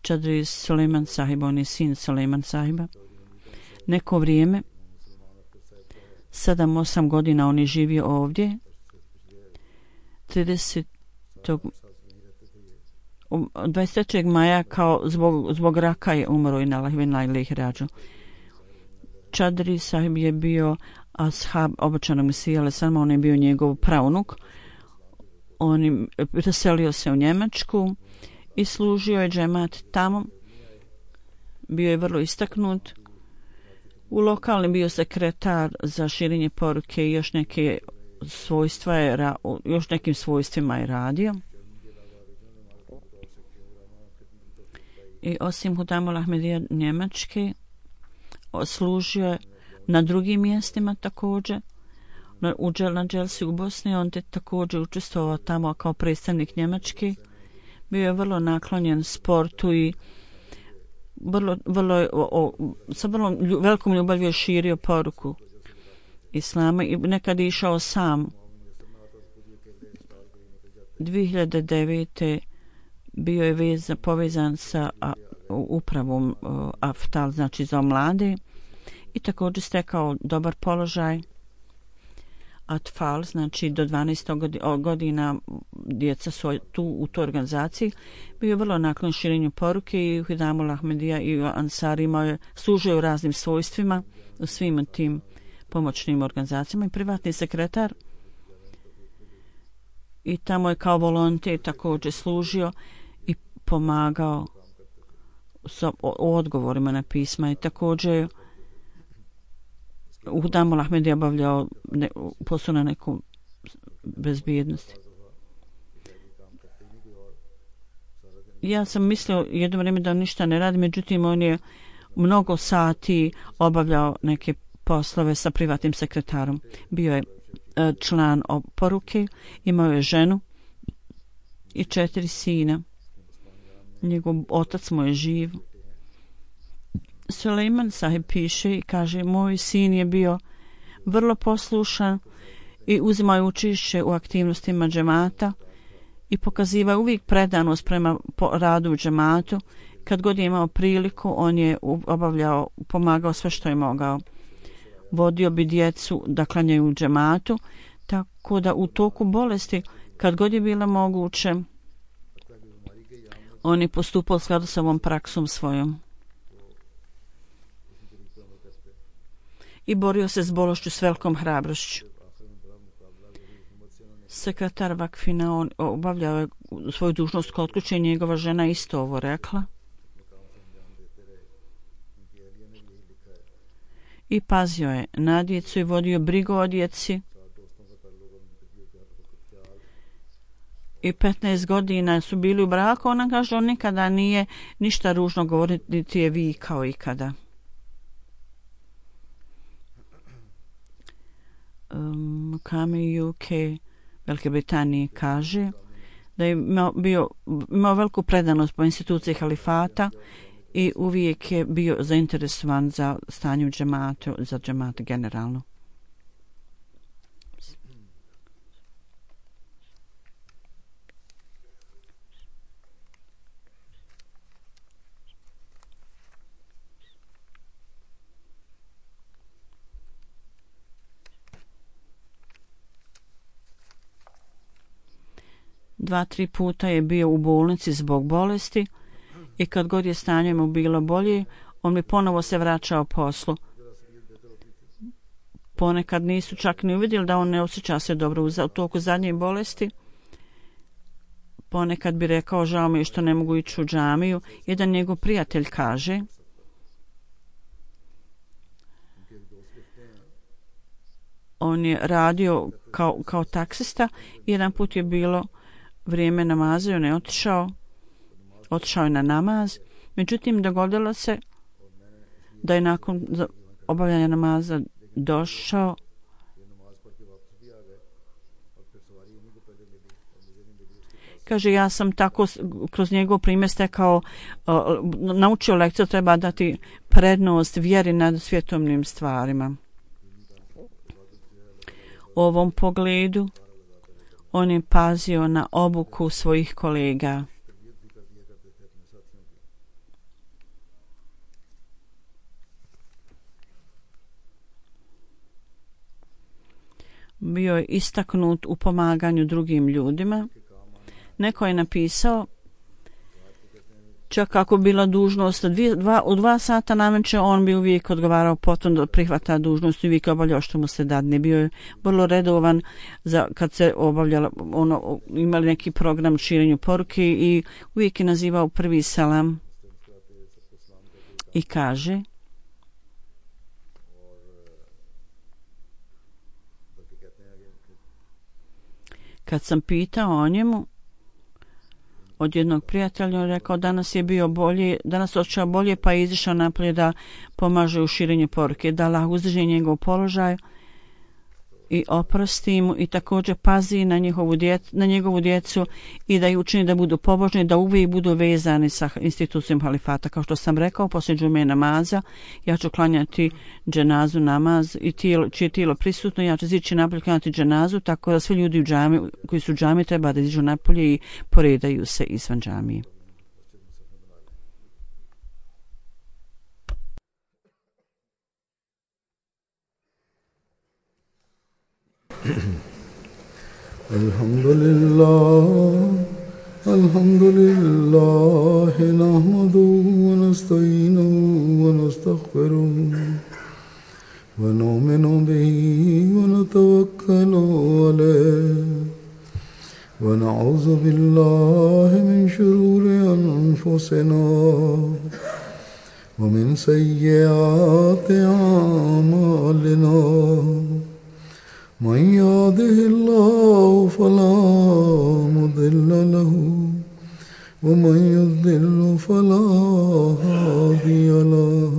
Čadri Suleiman sahib, on je sin Suleiman sahiba. Neko vrijeme, sedam osam godina on je živio ovdje. tridesetog dvadeset trećeg maja kao zbog, zbog raka je umro i na lahvina ili ih rađu. Čadri sahib je bio ashab obećanog Mesija, ali samo on je bio njegov praunuk. On je preselio se u Njemačku i služio je džemat tamo. Bio je vrlo istaknut. U lokalni bio sekretar za širenje poruke i još neke svojstva je, još nekim svojstvima je radio. I osim Hudamul Ahmedija Njemačke služio je na drugim mjestima također. U Dželsi u Bosni on te također učestvovao tamo kao predstavnik Njemačke. Bio je vrlo naklonjen sportu i vrlo, vrlo, o, o, sa vrlo velikom ljubavlju je širio poruku Islama i nekad je išao sam. dvije hiljade devete bio je veza, povezan sa a, upravom a, Aftal, znači za mlade, i također stekao dobar položaj. Atfal, znači do dvanaest godina djeca su tu u toj organizaciji. Bio je vrlo naklon širenju poruke i Hidamul Ahmedija i Ansari imao je, služio u raznim svojstvima u svim tim pomoćnim organizacijama i privatni sekretar. I tamo je kao volonter također služio i pomagao sa, o, o odgovorima na pisma i također u Hidamul Ahmedija obavljao ne, posao na neku bezbjednosti. Ja sam mislio jedno vrijeme da on ništa ne radi, međutim on je mnogo sati obavljao neke poslove sa privatnim sekretarom. Bio je član poruke, imao je ženu i četiri sina. Njegov otac mu je živ. Suleiman Sahib piše i kaže, moj sin je bio vrlo poslušan i uzimao učešće u aktivnostima džemata i pokazivao uvijek predanost prema radu u džematu. Kad god je imao priliku, on je obavljao, pomagao sve što je mogao. Vodio bi djecu da klanjaju u džematu, tako da u toku bolesti, kad god je bilo moguće, on je postupao u skladu sa ovom praksom svojom. I borio se s bolešću s velikom hrabrošću. Sekretar Vakfina, on obavljao je svoju dužnost kod kuće i njegova žena isto ovo rekla. I pazio je na djecu i vodio brigu o djeci. I petnaest godina su bili u braku. Ona kaže, on nikada nije ništa ružno govoriti, niti je vikao ikada. Um, Kami U K Velike Britanije kaže da je imao, bio, imao veliku predanost po instituciji halifata i uvijek je bio zainteresovan za stanje u džematu, za džemat generalno. Dva, tri puta je bio u bolnici zbog bolesti i kad god je stanje mu bilo bolje, on bi ponovo se vraćao poslu. Ponekad nisu čak ni uvidjeli da on ne osjeća se dobro u toku zadnje bolesti. Ponekad bi rekao, žao mi je što ne mogu ići u džamiju. Jedan njegov prijatelj kaže, on je radio kao, kao taksista i jedan put je bilo vrijeme namaza i on je otišao, otišao je na namaz. Međutim, dogodilo se da je nakon obavljanja namaza došao kaže, ja sam tako kroz njegov primjer stekao, uh, naučio lekciju, treba dati prednost vjeri nad svjetovnim stvarima. U ovom pogledu on je pazio na obuku svojih kolega. Bio je istaknut u pomaganju drugim ljudima. Neko je napisao, čak ako bila dužnost dvije, dva, u dva sata nameće, on bi uvijek odgovarao potom da prihvata dužnost i uvijek obavljao što mu se dadne. Bio je vrlo redovan za, kad se obavljala, ono, imali neki program širenju poruke i uvijek je nazivao prvi salam i kaže, kad sam pitao o njemu, od jednog prijatelja, on rekao, danas je bio bolje, danas očeo bolje, pa je izišao napolje da pomaže u širenju poruke, da Allah uzdrži njegov položaj i oprosti mu i također pazi na njegovu, djecu, na njegovu djecu i da ih učini da budu pobožni, da uvijek budu vezani sa institucijom halifata. Kao što sam rekao, poslije džume namaza, ja ću klanjati dženazu namaz i tijelo, čije tijelo prisutno, ja ću ići napolje klanjati dženazu, tako da svi ljudi u džami, koji su u džami treba da iđu napolje i poredaju se izvan džamije. Alhamdulillah, alhamdulillah, nahmaduhu wa nasta'inuhu wa nastaghfiruh wa nu'minu bihi wa natawakkalu alayh wa na'udhu billahi min shururi anfusina wa min sayyiati a'malina. من يهده الله فلا مضل له ومن يضلل فلا هادي له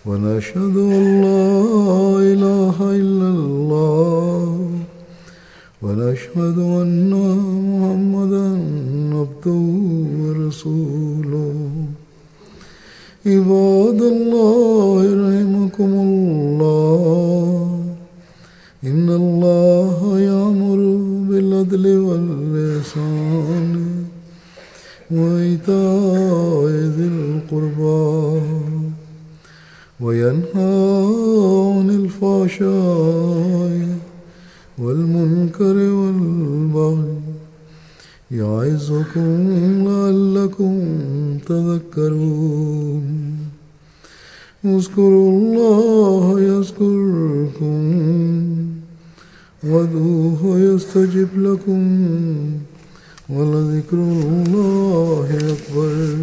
ونشهد أن لا إله إلا الله ونشهد أن محمدا عبده ورسوله عباد الله رحمكم الله إن الله يأمر بالعدل والإحسان وإيتاء ذي القربى وينهى عن الفحشاء والمنكر والبغي يعظكم لعلكم تذكرون اذكروا الله يذكركم وادعوه يستجب لكم ولذكر الله أكبر.